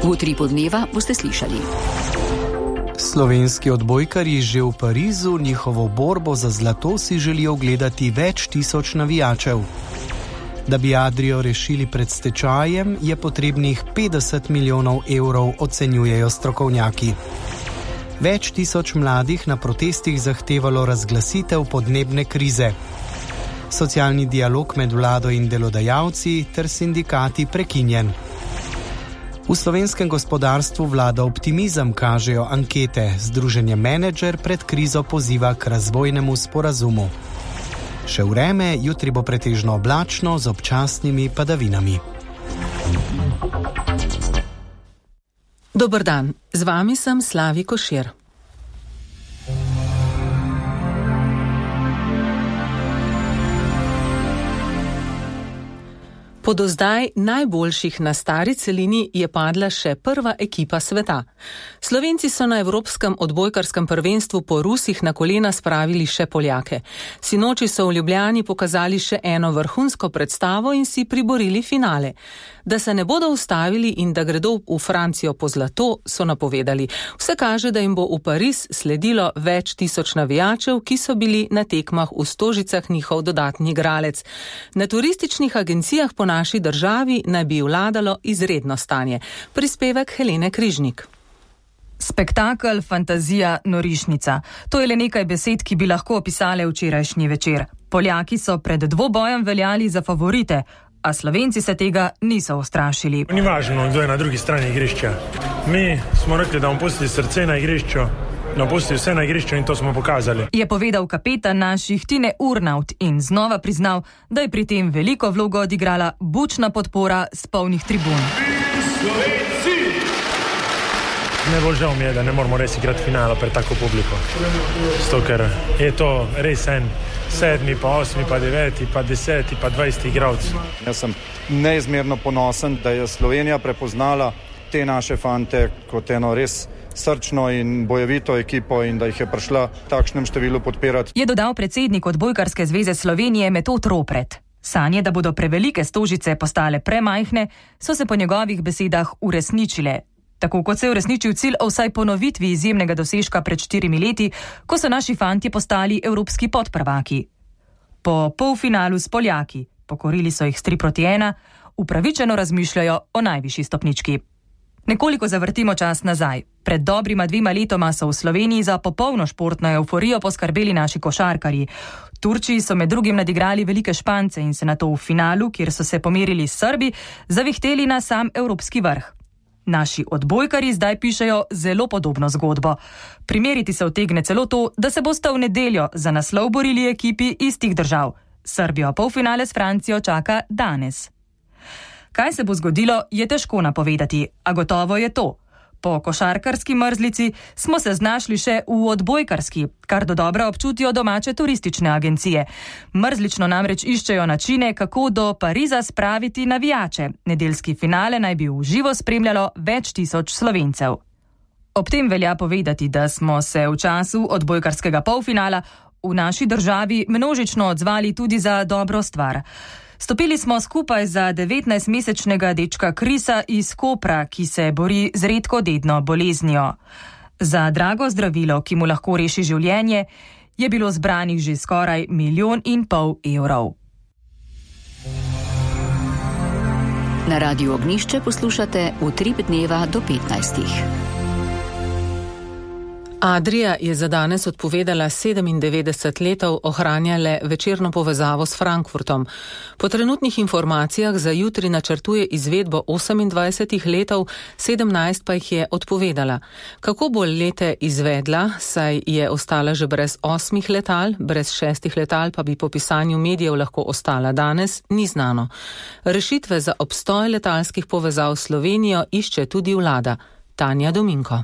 V Utripu dneva boste slišali. Slovenski odbojkarji že v Parizu njihovo borbo za zlato si želijo ogledati več tisoč navijačev. Da bi Adrio rešili pred stečajem, je potrebnih 50 milijonov evrov, ocenjujejo strokovnjaki. Več tisoč mladih na protestih zahtevalo razglasitev podnebne krize. Socialni dialog med vlado in delodajalci ter sindikati prekinjen. V slovenskem gospodarstvu vlada optimizem, kažejo ankete. Združenje Menedžer pred krizo poziva k razvojnemu sporazumu. Še vreme, jutri bo pretežno oblačno z občasnimi padavinami. Dober dan, z vami sem Slavi Košir. Po do zdaj najboljših na stari celini je padla še prva ekipa sveta. Slovenci so na evropskem odbojkarskem prvenstvu po Rusih na kolena spravili še Poljake. Sinoči so v Ljubljani pokazali še eno vrhunsko predstavo in si priborili finale. Da se ne bodo ustavili in da gredo v Francijo po zlato, so napovedali. Vse kaže, da jim bo v Pariz sledilo več tisoč navijačev, ki so bili na tekmah v Stožicah njihov dodatni igralec. Na turističnih agencijah po naši državi naj bi vladalo izredno stanje. Prispevek Helene Križnik. Spektakel, fantazija, norišnica. To je le nekaj besed, ki bi lahko opisale včerajšnji večer. Poljaki so pred dvobojem veljali za favorite, a Slovenci se tega niso ustrašili. Ni važno, kdo je na drugi strani igrišča. Mi smo rekli, da bomo pustili srce na igrišču, pustili vse na igrišču in to smo pokazali. Je povedal kapetan naših Tine Urnaut in znova priznal, da je pri tem veliko vlogo odigrala bučna podpora s polnih tribun. Slovenci! Najbolj žal mi je, da ne moramo res igrati finala pred tako publiko. Zato, ker je to res en 7, pa 8, pa 9, pa 10, pa 20 igralcev. Jaz sem neizmerno ponosen, da je Slovenija prepoznala te naše fante kot eno res srčno in bojevito ekipo in da jih je prišla v takšnem številu podpirati. Je dodal predsednik Odbojkarske zveze Slovenije Metod Ropret. Sanje, da bodo prevelike Stožice postale premajhne, so se po njegovih besedah uresničile. Tako kot se je uresničil cilj o vsaj ponovitvi izjemnega dosežka pred 4 leti, ko so naši fantje postali evropski podprvaki. Po polfinalu s Poljaki, pokorili so jih s 3-1, upravičeno razmišljajo o najvišji stopnički. Nekoliko zavrtimo čas nazaj. Pred dobrima 2 letoma so v Sloveniji za popolno športno evforijo poskrbeli naši košarkarji. Turčiji so med drugim nadigrali velike Špance in se nato v finalu, kjer so se pomerili s Srbi, zavihteli na sam evropski vrh. Naši odbojkarji zdaj pišejo zelo podobno zgodbo. Primeriti se utegne celo to, da se bosta v nedeljo za naslov borili ekipi istih držav. Srbijo polfinale s Francijo čaka danes. Kaj se bo zgodilo, je težko napovedati, a gotovo je to. Po košarkarski mrzlici smo se znašli še v odbojkarski, kar dodobra občutijo domače turistične agencije. Mrzlično namreč iščejo načine, kako do Pariza spraviti navijače. Nedeljski finale naj bi v živo spremljalo več tisoč Slovencev. Ob tem velja povedati, da smo se v času odbojkarskega polfinala v naši državi množično odzvali tudi za dobro stvar. Stopili smo skupaj za 19-mesečnega dečka Krisa iz Kopra, ki se bori z redko dedno boleznijo. Za drago zdravilo, ki mu lahko reši življenje, je bilo zbranih že skoraj 1,5 milijona evrov. Na Radiu Ognjišče poslušate Utrip dneva do 15. Adria je za danes odpovedala 97 letov ohranjale večerno povezavo s Frankfurtom. Po trenutnih informacijah za jutri načrtuje izvedbo 28 letov, 17 pa jih je odpovedala. Kako bo lete izvedla, saj je ostala že brez 8 letal, brez 6 letal pa bi po pisanju medijev lahko ostala danes, ni znano. Rešitve za obstoj letalskih povezav s Slovenijo išče tudi vlada. Tanja Dominko.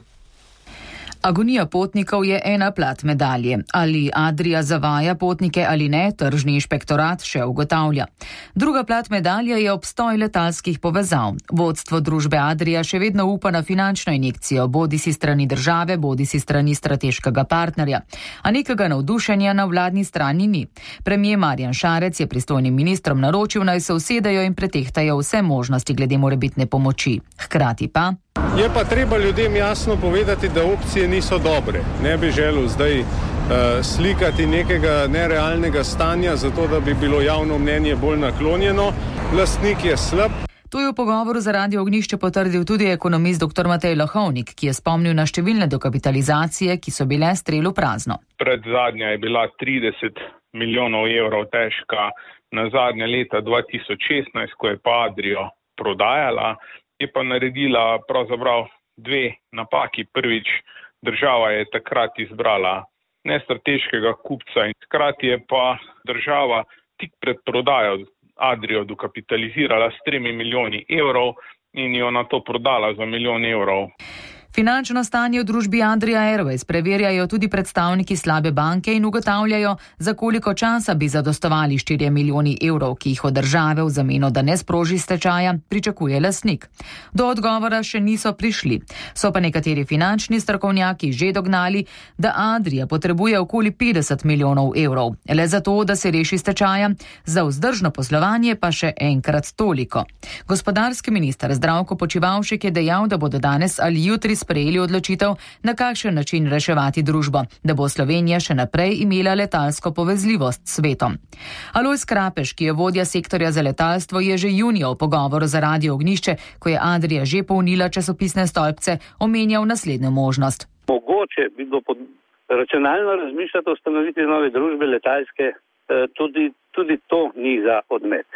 Agonija potnikov je ena plat medalje. Ali Adria zavaja potnike ali ne, tržni inšpektorat še ugotavlja. Druga plat medalje je obstoj letalskih povezav. Vodstvo družbe Adria še vedno upa na finančno injekcijo, bodisi strani države, bodisi strani strateškega partnerja. A nekega navdušenja na vladni strani ni. Premier Marjan Šarec je pristojnim ministrom naročil, naj se usedejo in pretehtajo vse možnosti glede morebitne pomoči. Hkrati pa Je pa treba ljudem jasno povedati, da opcije niso dobre. Ne bi želel zdaj slikati nekega nerealnega stanja, zato da bi bilo javno mnenje bolj naklonjeno. Lastnik je slab. To je v pogovoru za Radio Ognjišče potrdil tudi ekonomist dr. Matej Lahovnik, ki je spomnil na številne dokapitalizacije, ki so bile strelu prazno. Predzadnja je bila 30 milijonov evrov težka, na zadnje leta 2016, ko je pa Adrio prodajala, je pa naredila pravzaprav dve napaki. Prvič, država je takrat izbrala nestrateškega kupca in hkrati je pa država tik pred prodajo Adrio dokapitalizirala s 3 milijoni evrov in jo na to prodala za 1 milijon evrov. Finančno stanje v družbi Adria Airways preverjajo tudi predstavniki slabe banke in ugotavljajo, za koliko časa bi zadostovali 4 milijoni evrov, ki jih od države v zameno, da ne sproži stečaja, pričakuje lastnik. Do odgovora še niso prišli. So pa nekateri finančni strokovnjaki že dognali, da Adria potrebuje okoli 50 milijonov evrov. Le zato, da se reši stečaja, za vzdržno poslovanje pa še enkrat toliko. Gospodarski minister Zdravko Počivalšek je dejal, da bodo danes ali jutri sprejeli odločitev, na kakšen način reševati družbo, da bo Slovenija še naprej imela letalsko povezljivost s svetom. Alojz Krapeš, ki je vodja sektorja za letalstvo, je že junija v pogovoru za Radio Ognjišče, ko je Adria že polnila časopisne stolpce, omenjal naslednjo možnost. Mogoče bi bilo racionalno razmišljati o ustanovitvi nove družbe letalske, tudi to ni za odmet.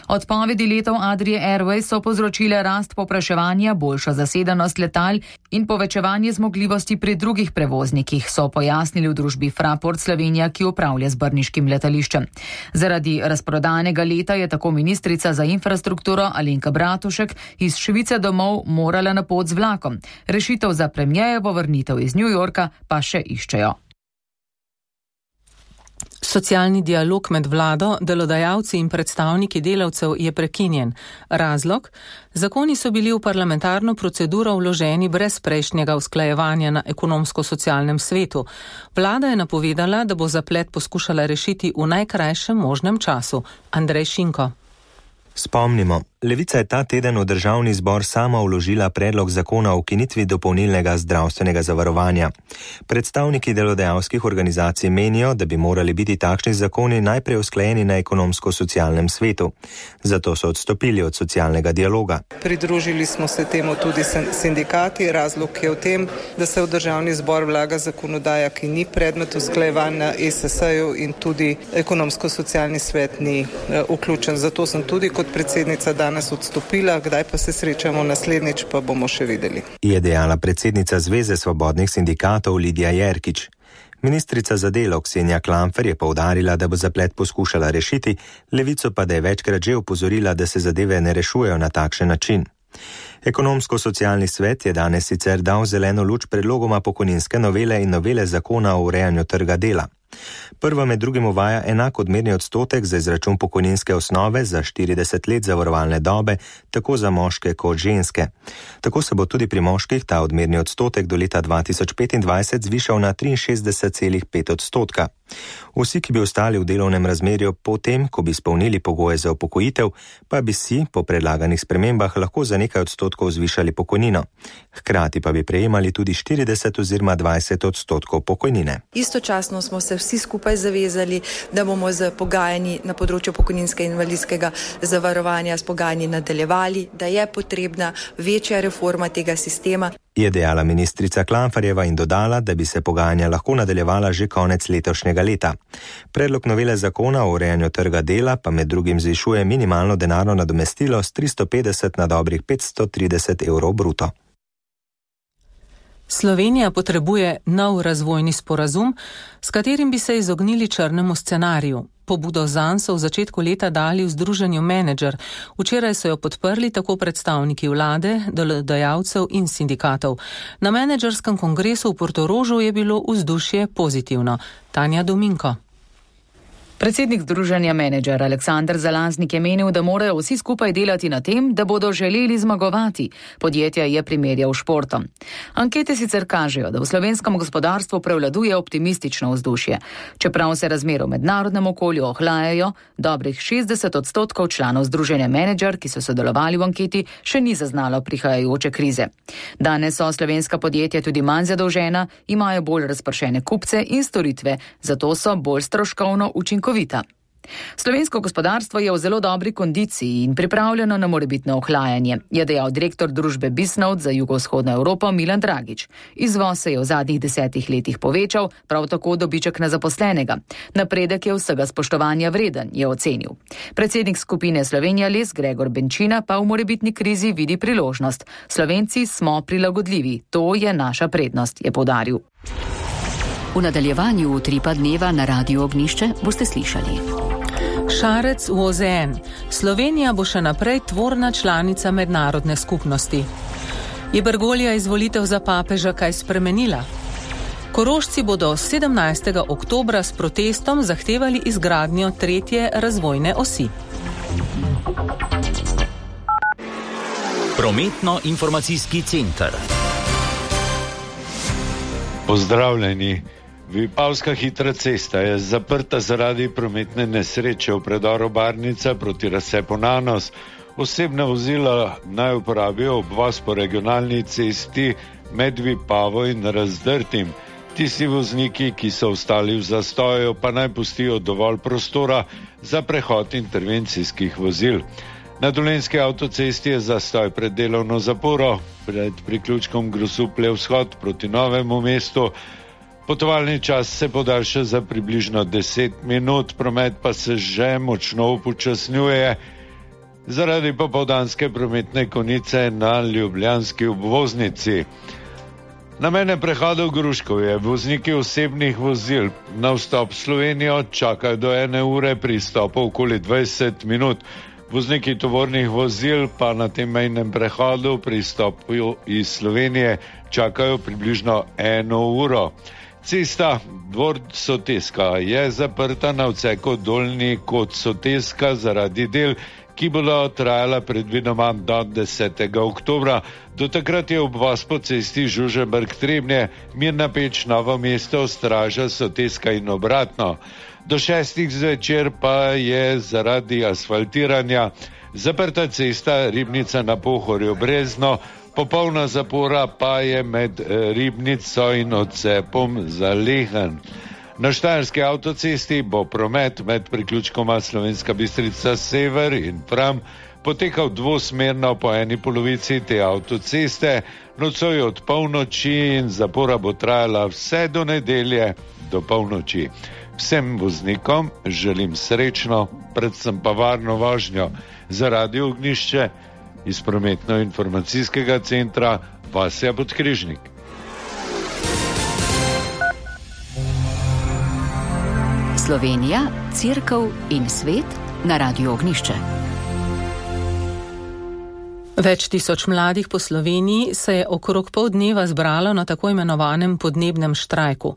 Odpovedi letov Adrie Airways so povzročile rast povpraševanja, boljšo zasedenost letal in povečevanje zmogljivosti pri drugih prevoznikih, so pojasnili v družbi Fraport Slovenija, ki upravlja z brniškim letališčem. Zaradi razprodanega leta je tako ministrica za infrastrukturo Alenka Bratušek iz Švice domov morala na pot z vlakom. Rešitev za premierjevo vrnitev iz New Yorka pa še iščejo. Socialni dialog med vlado, delodajalci in predstavniki delavcev je prekinjen. Razlog? Zakoni so bili v parlamentarno proceduro vloženi brez prejšnjega usklajevanja na ekonomsko-socialnem svetu. Vlada je napovedala, da bo zaplet poskušala rešiti v najkrajšem možnem času. Andrej Šinko. Spomnimo, Levica je ta teden v državni zbor sama vložila predlog zakona o ukinitvi dopolnilnega zdravstvenega zavarovanja. Predstavniki delodajalskih organizacij menijo, da bi morali biti takšni zakoni najprej usklajeni na ekonomsko-socialnem svetu. Zato so odstopili od socialnega dialoga. Pridružili smo se temu tudi sindikati. Razlog je v tem, da se v državni zbor vlaga zakonodaja, ki ni predmet usklajevanj na ESS-ju in tudi ekonomsko-socialni svet ni vključen. Zato sem tudi kot predsednica danes odstopila, kdaj pa se srečamo naslednjič, pa bomo še videli. Je dejala predsednica Zveze svobodnih sindikatov Lidija Jerkič. Ministrica za delo Ksenija Klamfer je poudarila, da bo zaplet poskušala rešiti, Levico pa da je večkrat že opozorila, da se zadeve ne rešujejo na takšen način. Ekonomsko-socialni svet je danes sicer dal zeleno luč predlogoma pokojninske novele in novele zakona o urejanju trga dela. Prva med drugim uvaja enak odmerni odstotek za izračun pokojninske osnove za 40 let zavarovalne dobe, tako za moške kot ženske. Tako se bo tudi pri moških ta odmerni odstotek do leta 2025 zvišal na 63,5 odstotka. Vsi, ki bi ostali v delovnem razmerju potem, ko bi izpolnili pogoje za upokojitev, pa bi si po predlaganih spremembah lahko za nekaj odstotkov zvišali pokojnino. Hkrati pa bi prejemali tudi 40 oziroma 20 odstotkov pokojnine. Istočasno smo se vsi skupaj zavezali, da bomo z pogajanji na področju pokojninskega in invalidskega zavarovanja s pogajanji nadaljevali, da je potrebna večja reforma tega sistema. Je dejala ministrica Klamferjeva in dodala, da bi se pogajanja lahko nadaljevala že konec letošnjega leta. Predlog novele zakona o urejanju trga dela pa med drugim zvišuje minimalno denarno nadomestilo s 350 na dobrih 530 evrov bruto. Slovenija potrebuje nov razvojni sporazum, s katerim bi se izognili črnemu scenariju. Pobudo zanj so v začetku leta dali v združenju Menedžer. Včeraj so jo podprli tako predstavniki vlade, delodajalcev in sindikatov. Na menedžerskem kongresu v Portorožu je bilo vzdušje pozitivno. Tanja Dominko. Predsednik Združenja Menedžer Aleksandar Zalaznik je menil, da morajo vsi skupaj delati na tem, da bodo želeli zmagovati. Podjetja je primerjal športom. Ankete sicer kažejo, da v slovenskem gospodarstvu prevladuje optimistično vzdušje. Čeprav se razmere v mednarodnem okolju ohlajajo, dobrih 60% članov Združenja Menedžer, ki so sodelovali v anketi, še ni zaznalo prihajajoče krize. Danes so slovenska podjetja tudi manj zadolžena, imajo bolj razpršene kupce in storitve, zato so bolj stroškovno učinkovita. Slovensko gospodarstvo je v zelo dobri kondiciji in pripravljeno na morebitno ohlajanje, je dejal direktor družbe Bisnote za jugovzhodno Evropo Milan Dragič. Izvoz se je v zadnjih 10 letih povečal, prav tako dobiček na zaposlenega. Napredek je vsega spoštovanja vreden, je ocenil. Predsednik skupine Slovenija Les Gregor Benčina pa v morebitni krizi vidi priložnost. Slovenci smo prilagodljivi, to je naša prednost, je poudaril. V nadaljevanju Utripa dneva na Radiu Ognjišče boste slišali. Šarec v OZN. Slovenija bo še naprej tvorna članica mednarodne skupnosti. Je Bergoglija izvolitev za papeža kaj spremenila? Korošci bodo 17. oktobra s protestom zahtevali izgradnjo 3. razvojne osi. Prometno-informacijski center. Pozdravljeni. Vipavska hitra cesta je zaprta zaradi prometne nesreče v predoru Barnica proti razcepu Nanos. Osebna vozila naj uporabijo obvoz po regionalni cesti med Vipavo in Razdrtim. Tisti vozniki, ki so ostali v zastoju, pa naj pustijo dovolj prostora za prehod intervencijskih vozil. Na Dolenjski avtocesti je zastoj pred delovno zaporo, pred priključkom Grosuplje vzhod proti Novemu mestu. Potovalni čas se podaljša za približno 10 minut, promet pa se že močno upočasnjuje zaradi popoldanske prometne konice na ljubljanski obvoznici. Na mejnem prehodu Gruškovje vozniki osebnih vozil na vstop v Slovenijo čakajo do 1 ure, pri izstopu okoli 20 minut. Vozniki tovornih vozil pa na tem mejnem prehodu pri izstopu iz Slovenije čakajo približno 1 uro. Cesta Dvor Soteska je zaprta na odseku Dolnji kot Soteska zaradi del, ki bodo trajala predvidoma do 10. oktobra. Do takrat je obvoz po cesti Žužemberk-Trebnje, Mirna Peč, Novo mesto, Straža, Soteska in obratno. Do 6. zvečer pa je zaradi asfaltiranja zaprta cesta Ribnica na Pohorju Brezno, popolna zapora pa je med Ribnico in odcepom za Lehen. Na Štajerski avtocesti bo promet med priključkoma Slovenska Bistrica Sever in Fram potekal dvosmerno po eni polovici te avtoceste, nocoj od polnoči in zapora bo trajala vse do nedelje do polnoči. Vsem voznikom želim srečno, predvsem pa varno vožnjo. Za Radio Ognjišče iz prometno-informacijskega centra Vasja Podkrižnik. Slovenija, Cerkev in svet na Radiu Ognjišče. Več tisoč mladih po Sloveniji se je okrog pol dneva zbralo na tako imenovanem podnebnem štrajku.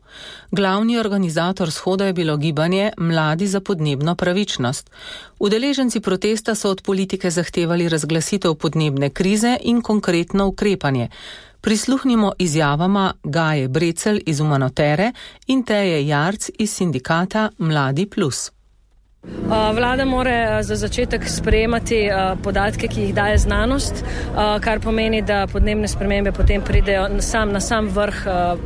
Glavni organizator shoda je bilo gibanje Mladi za podnebno pravičnost. Udeleženci protesta so od politike zahtevali razglasitev podnebne krize in konkretno ukrepanje. Prisluhnimo izjavama Gaje Brecelj iz Umanotere in Teje Jarc iz sindikata Mladi Plus. Vlada mora za začetek sprejemati podatke, ki jih daje znanost, kar pomeni, da podnebne spremembe potem pridejo na sam vrh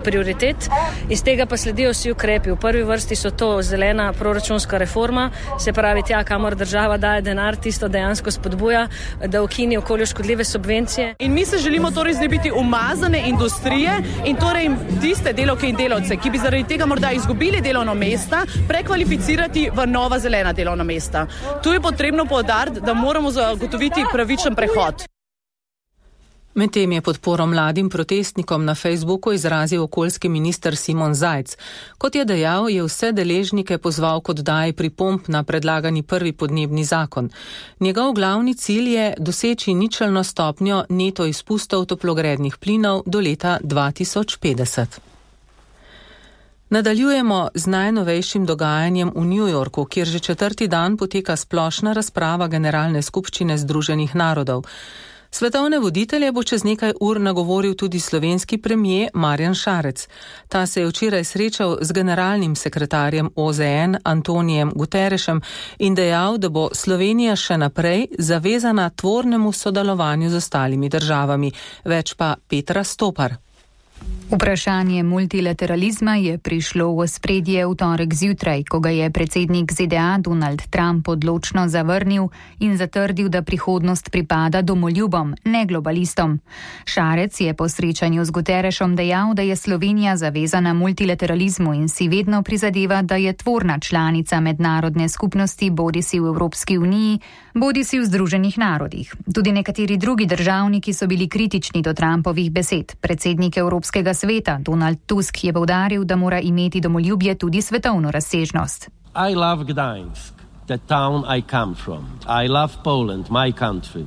prioritet. Iz tega pa sledijo vsi ukrepi. V prvi vrsti so to zelena proračunska reforma, se pravi tja, kamor država daje denar, tisto dejansko spodbuja, da ukini okolju škodljive subvencije. In mi se želimo torej znebiti umazane industrije in torej tiste delavke in delavce, ki bi zaradi tega morda izgubili delovno mesta, prekvalificirati v nova zelena delovna mesta. Tu je potrebno poudariti, da moramo zagotoviti pravičen prehod. Medtem je podporo mladim protestnikom na Facebooku izrazil okoljski minister Simon Zajc. Kot je dejal, je vse deležnike pozval k oddaji pripomb na predlagani prvi podnebni zakon. Njegov glavni cilj je doseči ničelno stopnjo neto izpustov toplogrednih plinov do leta 2050. Nadaljujemo z najnovejšim dogajanjem v New Yorku, kjer že 4. dan poteka splošna razprava Generalne skupščine Združenih narodov. Svetovne voditelje bo čez nekaj ur nagovoril tudi slovenski premier Marjan Šarec. Ta se je včeraj srečal z generalnim sekretarjem OZN Antonijem Guterrešem in dejal, da bo Slovenija še naprej zavezana tvornemu sodelovanju z ostalimi državami. Več pa Petra Stopar. Vprašanje multilateralizma je prišlo v ospredje v torek zjutraj, ko ga je predsednik ZDA Donald Trump odločno zavrnil in zatrdil, da prihodnost pripada domoljubom, ne globalistom. Šarec je po srečanju z Guterrešom dejal, da je Slovenija zavezana multilateralizmu in si vedno prizadeva, da je tvorna članica mednarodne skupnosti, bodisi v Evropski uniji, bodisi v Združenih narodih. Tudi nekateri drugi državniki so bili kritični do Trumpovih besed. Predsednik Evropskega sveta Donald Tusk je poudaril, da mora imeti domoljubje tudi svetovno razsežnost. I love Gdańsk, the town I come from. I love Poland, my country.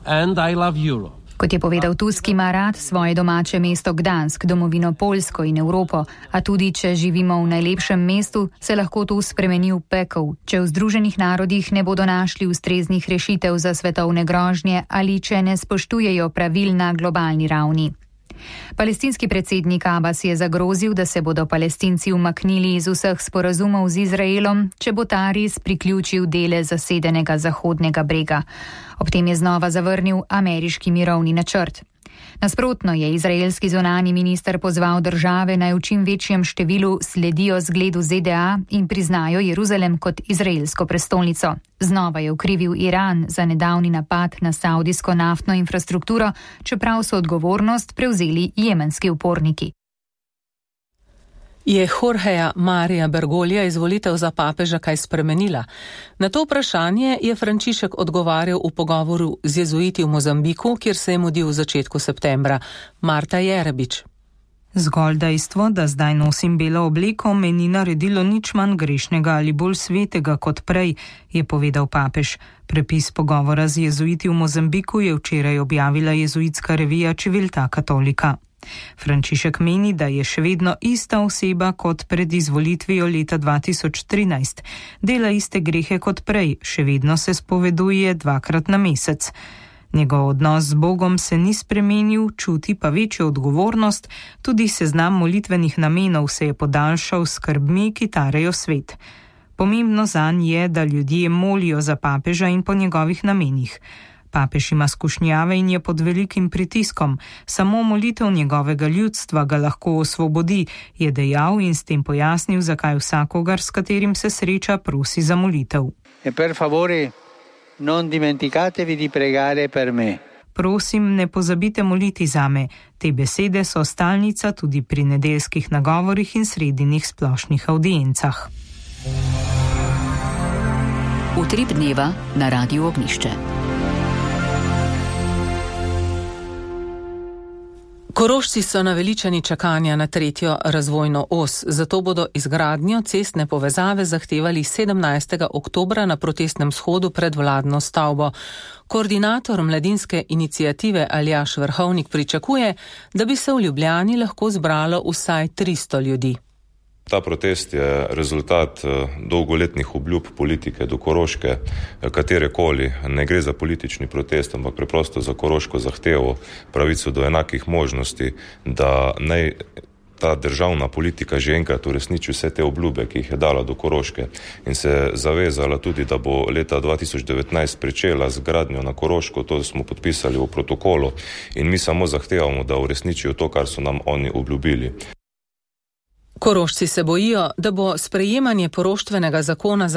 And I love Europe. Kot je povedal Tusk, ima rad svoje domače mesto Gdansk, domovino Poljsko in Evropo, a tudi če živimo v najlepšem mestu, se lahko to spremeni v pekel, če v Združenih narodih ne bodo našli ustreznih rešitev za svetovne grožnje ali če ne spoštujejo pravil na globalni ravni. Palestinski predsednik Abbas je zagrozil, da se bodo Palestinci umaknili iz vseh sporazumov z Izraelom, če bo ta res priključil dele zasedenega Zahodnega brega. Ob tem je znova zavrnil ameriški mirovni načrt. Nasprotno je izraelski zunanji minister pozval države, naj v čim večjem številu sledijo zgledu ZDA in priznajo Jeruzalem kot izraelsko prestolnico. Znova je okrivil Iran za nedavni napad na saudijsko naftno infrastrukturo, čeprav so odgovornost prevzeli jemenski uporniki. Je Jorgeja Marija Bergoglija izvolitev za papeža kaj spremenila? Na to vprašanje je Frančišek odgovarjal v pogovoru z jezuiti v Mozambiku, kjer se je mudil v začetku septembra. Marta Jerebič. Zgolj dejstvo, da zdaj nosim belo obleko, me ni naredilo nič manj grešnega ali bolj svetega kot prej, je povedal papež. Prepis pogovora z jezuiti v Mozambiku je včeraj objavila jezuitska revija Civiltà Cattolica. Frančišek meni, da je še vedno ista oseba kot pred izvolitvijo leta 2013. Dela iste grehe kot prej, še vedno se spoveduje 2krat na mesec. Njegov odnos z Bogom se ni spremenil, čuti pa večjo odgovornost, tudi seznam molitvenih namenov se je podaljšal s skrbmi, ki tarejo svet. Pomembno zanj je, da ljudje molijo za papeža in po njegovih namenih. Papež ima skušnjave in je pod velikim pritiskom. Samo molitev njegovega ljudstva ga lahko osvobodi, je dejal in s tem pojasnil, zakaj vsakogar, s katerim se sreča, prosi za molitev. Per favore, non dimenticatevi di pregare per me. Prosim, ne pozabite moliti zame. Te besede so stalnica tudi pri nedeljskih nagovorih in sredinih splošnih audiencah. Utrip dneva na Radiu Ognjišče. Korošci so naveličani čakanja na 3. razvojno os, zato bodo izgradnjo cestne povezave zahtevali 17. oktobra na protestnem shodu pred vladno stavbo. Koordinator mladinske iniciative Aljaž Vrhovnik pričakuje, da bi se v Ljubljani lahko zbralo vsaj 300 ljudi. Ta protest je rezultat dolgoletnih obljub politike do Koroške, katerekoli. Ne gre za politični protest, ampak preprosto za koroško zahtevo, pravico do enakih možnosti, da naj ta državna politika že enkrat uresniči vse te obljube, ki jih je dala do Koroške in se zavezala tudi, da bo leta 2019 pričela z gradnjo na Koroško. To smo podpisali v protokolu in mi samo zahtevamo, da uresničijo to, kar so nam oni obljubili. Korošci se bojijo, da bo sprejemanje poroštvenega zakona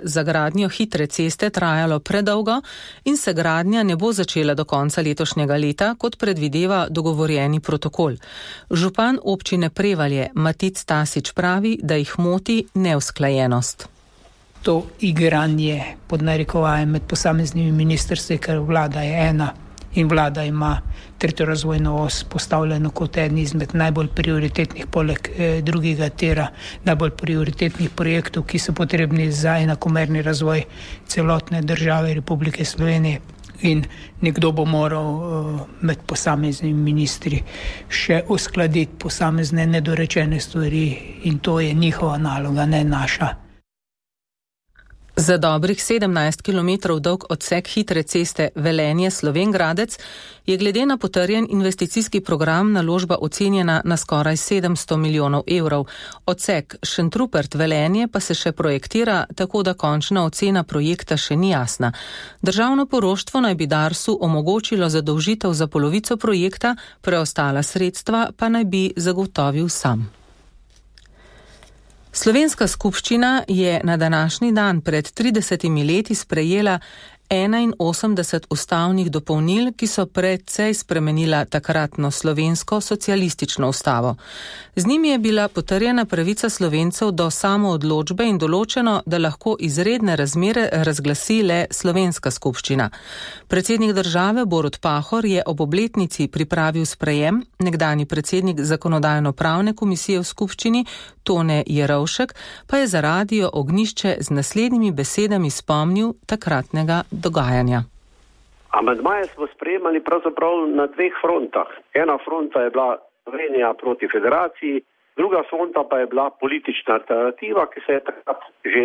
za gradnjo hitre ceste trajalo predolgo in se gradnja ne bo začela do konca letošnjega leta, kot predvideva dogovorjeni protokol. Župan občine Prevalje Matic Tasič pravi, da jih moti neusklajenost. To igranje pod narekovajem med posameznimi ministrstvi, ker vlada je ena in vlada ima 3. razvojno os postavljeno kot eden izmed najbolj prioritetnih, poleg drugega tira najbolj prioritetnih projektov, ki so potrebni za enakomerni razvoj celotne države Republike Slovenije. In nekdo bo moral med posameznimi ministri še uskladiti posamezne nedorečene stvari in to je njihova naloga, ne naša. Za dobrih 17 km dolg odsek hitre ceste Velenje-Slovenj Gradec je glede na potrjen investicijski program naložba ocenjena na skoraj 700 milijonov evrov. Odsek Šentrupert-Velenje pa se še projektira, tako da končna ocena projekta še ni jasna. Državno poroštvo naj bi Darsu omogočilo zadolžitev za polovico projekta, preostala sredstva pa naj bi zagotovil sam. Slovenska skupščina je na današnji dan pred 30 leti sprejela 81 ustavnih dopolnil, ki so precej spremenila takratno slovensko socialistično ustavo. Z njimi je bila potrjena pravica Slovencev do samoodločbe in določeno, da lahko izredne razmere razglasi le slovenska skupščina. Predsednik države Borut Pahor je ob obletnici pripravil sprejem, nekdanji predsednik zakonodajno-pravne komisije v skupščini Tone Jerovšek pa je za Radio Ognjišče z naslednjimi besedami spomnil takratnega dogajanja. Amandmaje smo sprejemali pravzaprav na dveh frontah. Ena fronta je bila Slovenija proti federaciji, druga fronta pa je bila politična alternativa, ki se je takrat že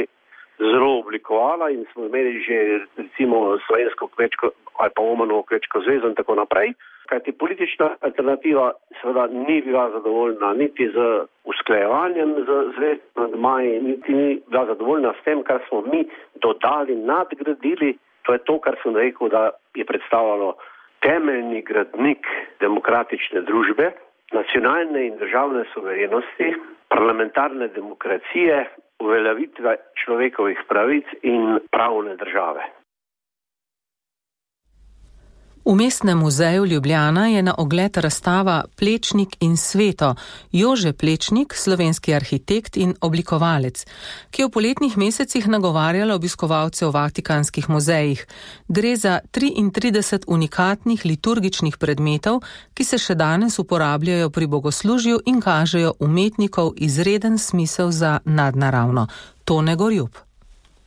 zelo oblikovala in smo imeli že recimo slovensko kmečko ali pa Omanovo kmečko zvezo in tako naprej. Kajti politična alternativa seveda ni bila zadovoljna niti z usklajevanjem z zvezdnimi amandmaji, niti ni bila zadovoljna s tem, kar smo mi dodali, nadgradili. To je to, kar sem rekel, da je predstavljalo temeljni gradnik demokratične družbe, nacionalne in državne suverenosti, parlamentarne demokracije, uveljavitve človekovih pravic in pravne države. V Mestnem muzeju Ljubljana je na ogled razstava Plečnik in sveto, Jože Plečnik, slovenski arhitekt in oblikovalec, ki je v poletnih mesecih nagovarjala obiskovalce v vatikanskih muzejih. Gre za 33 unikatnih liturgičnih predmetov, ki se še danes uporabljajo pri bogoslužju in kažejo umetnikov izreden smisel za nadnaravno. Tone Gorjup.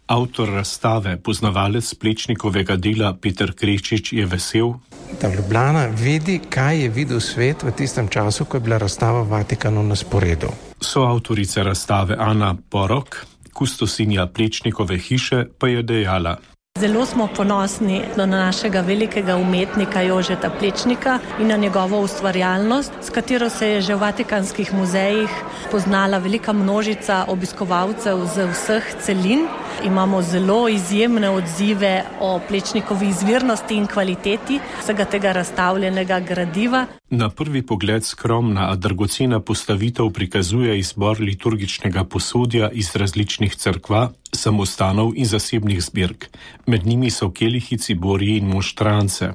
Avtor razstave, poznavalec Plečnikovega dela Peter Krečič je vesel, da Ljubljana vidi, kaj je videl svet v tistem času, ko je bila razstava v Vatikanu na sporedu. Soavtorica razstave Ana Porok, kustosinja Plečnikove hiše, pa je dejala: Zelo smo ponosni na našega velikega umetnika Jožeta Plečnika in na njegovo ustvarjalnost, s katero se je že v vatikanskih muzejih poznala velika množica obiskovalcev z vseh celin. Imamo zelo izjemne odzive o Plečnikovi izvirnosti in kvaliteti vsega tega razstavljenega gradiva. Na prvi pogled skromna, a dragocena postavitev prikazuje izbor liturgičnega posodja iz različnih cerkva, samostanov in zasebnih zbirk. Med njimi so kelihi, ciborji in monštrance.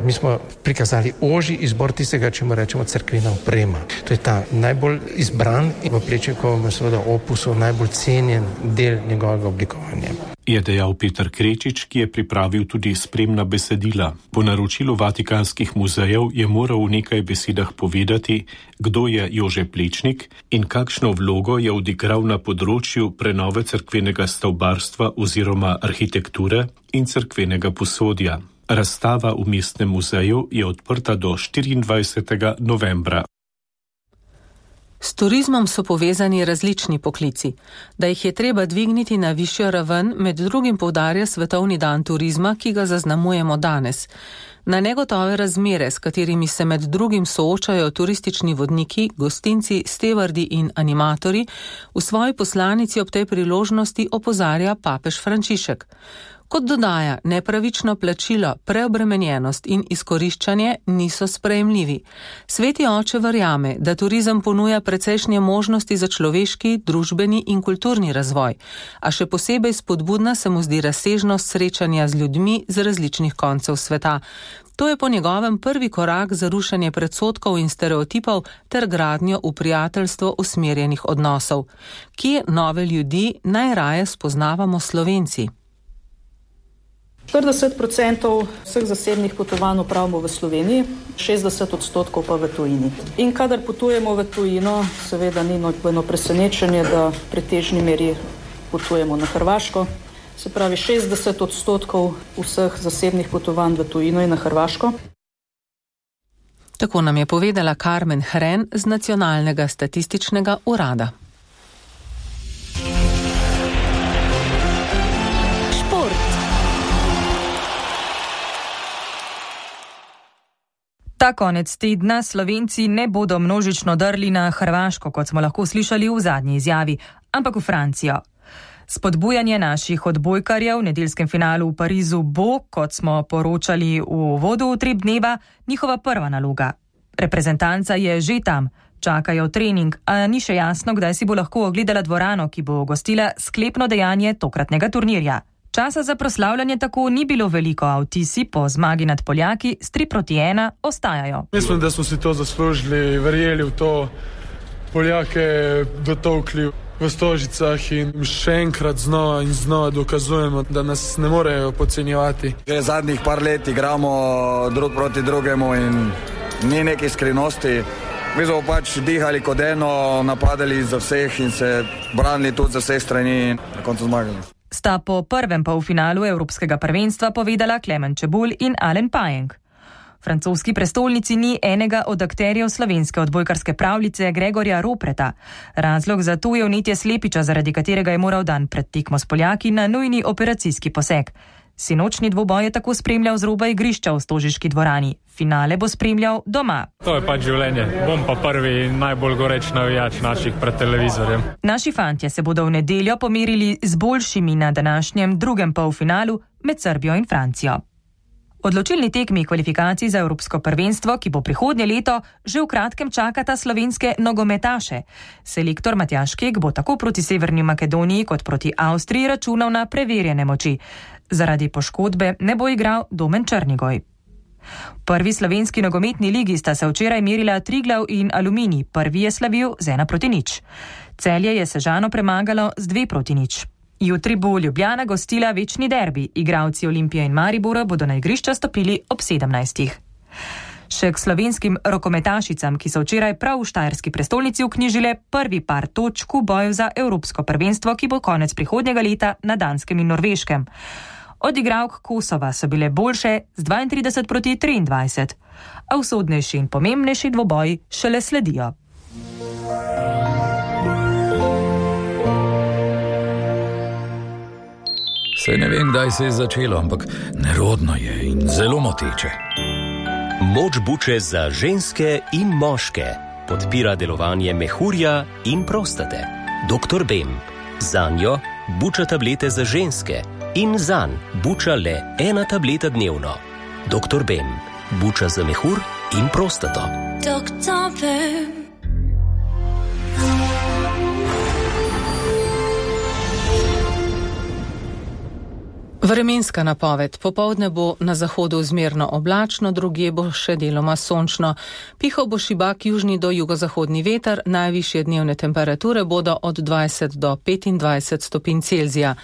Mi smo prikazali ožji izbor tistega, čemu rečemo cerkvena oprema. To je ta najbolj izbran in v Plečnikovem seveda opusu najbolj cenjen del njegovega oblikovanja. Je dejal Peter Krečič, ki je pripravil tudi spremna besedila. Po naročilu vatikanskih muzejev je moral v nekaj besedah povedati, kdo je Jože Plečnik in kakšno vlogo je odigral na področju prenove cerkvenega stavbarstva oziroma arhitekture in cerkvenega posodja. Razstava v Mestnem muzeju je odprta do 24. novembra. S turizmom so povezani različni poklici. Da jih je treba dvigniti na višjo raven, med drugim poudarja Svetovni dan turizma, ki ga zaznamujemo danes. Na negotove razmere, s katerimi se med drugim soočajo turistični vodniki, gostinci, stevardi in animatorji, v svoji poslanici ob tej priložnosti opozarja papež Frančišek. Kot dodaja, nepravično plačilo, preobremenjenost in izkoriščanje niso sprejemljivi. Sveti oče verjame, da turizem ponuja precejšnje možnosti za človeški, družbeni in kulturni razvoj, a še posebej spodbudna se mu zdi razsežnost srečanja z ljudmi z različnih koncev sveta. To je po njegovem prvi korak za rušenje predsodkov in stereotipov ter gradnjo v prijateljstvo usmerjenih odnosov. Kje nove ljudi najraje spoznavamo Slovenci? 40% vseh zasebnih potovanj opravimo v Sloveniji, 60% pa v tujini. In kadar potujemo v tujino, seveda ni nobeno presenečenje, da v pretežni meri potujemo na Hrvaško. se pravi 60% vseh zasebnih potovanj v tujino in na Hrvaško. Tako nam je povedala Carmen Hren z Nacionalnega statističnega urada. Ta konec tedna Slovenci ne bodo množično drli na Hrvaško, kot smo lahko slišali v zadnji izjavi, ampak v Francijo. Spodbujanje naših odbojkarjev v nedeljskem finalu v Parizu bo, kot smo poročali v uvodu Utrip dneva, njihova prva naloga. Reprezentanca je že tam, čakajo trening, a ni še jasno, kdaj si bo lahko ogledala dvorano, ki bo gostila sklepno dejanje tokratnega turnirja. Časa za proslavljanje tako ni bilo veliko, a vtisi po zmagi nad Poljaki s 3-1 ostajajo. Mislim, da smo si to zaslužili, verjeli v to, Poljake dotolkli v Stožicah in še enkrat znova in znova dokazujemo, da nas ne morejo podcenjevati. Zadnjih par let igramo drug proti drugemu in ni neke skrivnosti. Mi smo pač dihali kot eno, napadali za vseh in se branili tudi za vseh strani in na koncu zmagali. Sta po prvem polfinalu Evropskega prvenstva povedala Klemen Čebulj in Alen Pajenk. V francoski prestolnici ni enega od akterjev slovenske odbojkarske pravljice Gregorja Ropreta. Razlog za to je vnetje slepiča, zaradi katerega je moral dan pred tekmo s Poljaki na nujni operacijski poseg. Sinočni dvoboj je tako spremljal z roba igrišča v stožiški dvorani. Finale bo spremljal doma. To je pač življenje. Bom pa prvi in najbolj goreč navijač naših pred televizorjem. Naši fantje se bodo v nedeljo pomerili z boljšimi na današnjem drugem polfinalu med Srbijo in Francijo. Odločilni tekmi kvalifikacij za Evropsko prvenstvo, ki bo prihodnje leto, že v kratkem čakata slovenske nogometaše. Selektor Matjaž Kek bo tako proti Severni Makedoniji kot proti Avstriji računal na preverjene moči. Zaradi poškodbe ne bo igral Domen Črnigoj. V prvi slovenski nogometni ligi sta se včeraj merila Triglav in Aluminij. Prvi je slavil z 1-0. Celje je Sežano premagalo z 2-0. Jutri bo Ljubljana gostila večni derbi. Igralci Olimpije in Maribora bodo na igrišča stopili ob 17. Še k slovenskim rokometašicam, ki so včeraj prav v štajerski prestolnici vknjižile prvi par točk v boju za Evropsko prvenstvo, ki bo konec prihodnjega leta na Danskem in Norveškem. Od igralk Kosova so bile boljše z 32-23, a usodnejši in pomembnejši dvoboji šele sledijo. Saj ne vem, kdaj se je začelo, ampak nerodno je in zelo moteče. Moč buče za ženske in moške podpira delovanje mehurja in prostate. Dr. Bem. Zanjo buča tablete za ženske in zanj buča le 1 tableta dnevno. Dr. Bem. Buča za mehur in prostato. Dr. Bem. Vremenska napoved. Popoldne bo na zahodu zmerno oblačno, drugje bo še deloma sončno. Pihal bo šibak južni do jugozahodni veter, najvišje dnevne temperature bodo od 20 do 25 stopinj Celzija.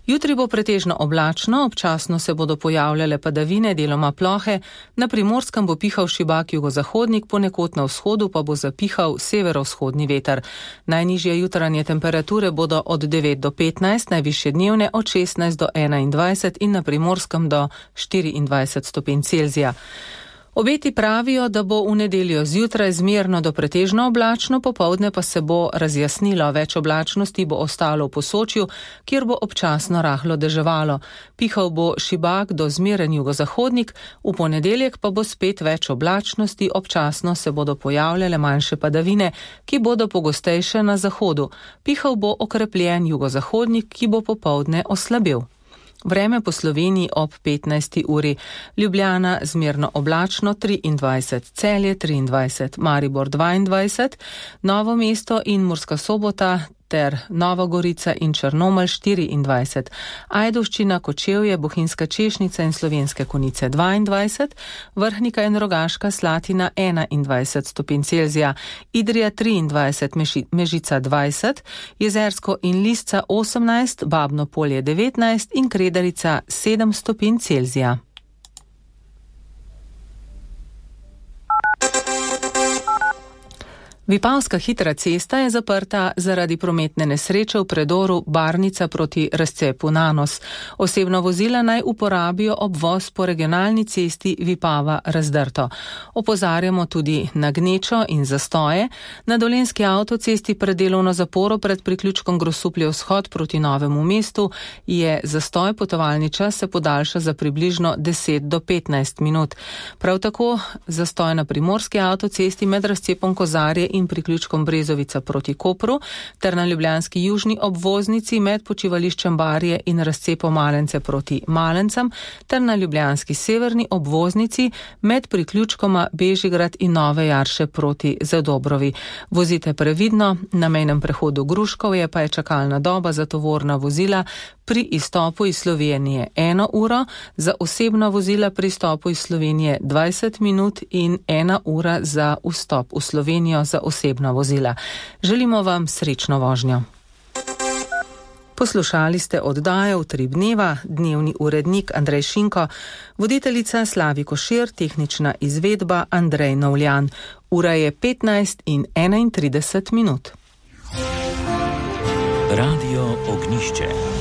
Jutri bo pretežno oblačno, občasno se bodo pojavljale padavine, deloma plohe, na Primorskem bo pihal šibak jugozahodnik, ponekod na vzhodu pa bo zapihal severovzhodni veter. Najnižje jutranje temperature bodo od 9 do 15, najvišje dnevne od 16 do 21 in na Primorskem do 24 stopinj Celzija. Obeti pravijo, da bo v nedeljo zjutraj zmerno do pretežno oblačno, popoldne pa se bo razjasnilo, več oblačnosti bo ostalo v Posočju, kjer bo občasno rahlo deževalo. Pihal bo šibak do zmeren jugozahodnik, v ponedeljek pa bo spet več oblačnosti, občasno se bodo pojavljale manjše padavine, ki bodo pogostejše na zahodu. Pihal bo okrepljen jugozahodnik, ki bo popoldne oslabil. Vreme po Sloveniji ob 15. uri. Ljubljana zmerno oblačno 23, Celje 23, Maribor 22, Novo mesto in Murska Sobota ter Nova Gorica in Črnomelj 24, Ajdovščina, Kočevje, Bohinjska Češnica in Slovenske Konjice 22, Vrhnika in Rogaška Slatina 21 stopinj Celzija, Idrija 23, Mežica 20, Jezersko in Lisca 18, Babno Polje 19 in Kredarica 7 stopinj Celzija. Vipavska hitra cesta je zaprta zaradi prometne nesreče v predoru Barnica proti razcepu Nanos. Osebna vozila naj uporabijo obvoz po regionalni cesti Vipava-Razdrto. Opozarjamo tudi na gnečo in zastoje. Na Dolenjski avtocesti pred delovno zaporo pred priključkom Grosuplje-Vzhod proti Novemu mestu je zastoj, potovalni čas se podaljša za približno 10 do 15 minut. Prav tako zastoj na Primorski avtocesti med razcepom Kozarje in priključkom Brezovica proti Kopru, ter na ljubljanski južni obvoznici med počivališčem Barje in razcepom Malence proti Malencem, ter na ljubljanski severni obvoznici med priključkoma Bežigrad in Nove Jarše proti Zadobrovi. Vozite previdno, na mejnem prehodu Gruškovje pa je čakalna doba za tovorna vozila pri izstopu iz Slovenije 1 uro, za osebna vozila pri izstopu iz Slovenije 20 minut in 1 ura za vstop v Slovenijo za osebna vozila. Želimo vam srečno vožnjo. Poslušali ste oddajo Utrip dneva, dnevni urednik Andrej Šinko, voditeljica Slavi Košir, tehnična izvedba Andrej Novljan. Ura je 15 in 31 minut. Radio Ognišče.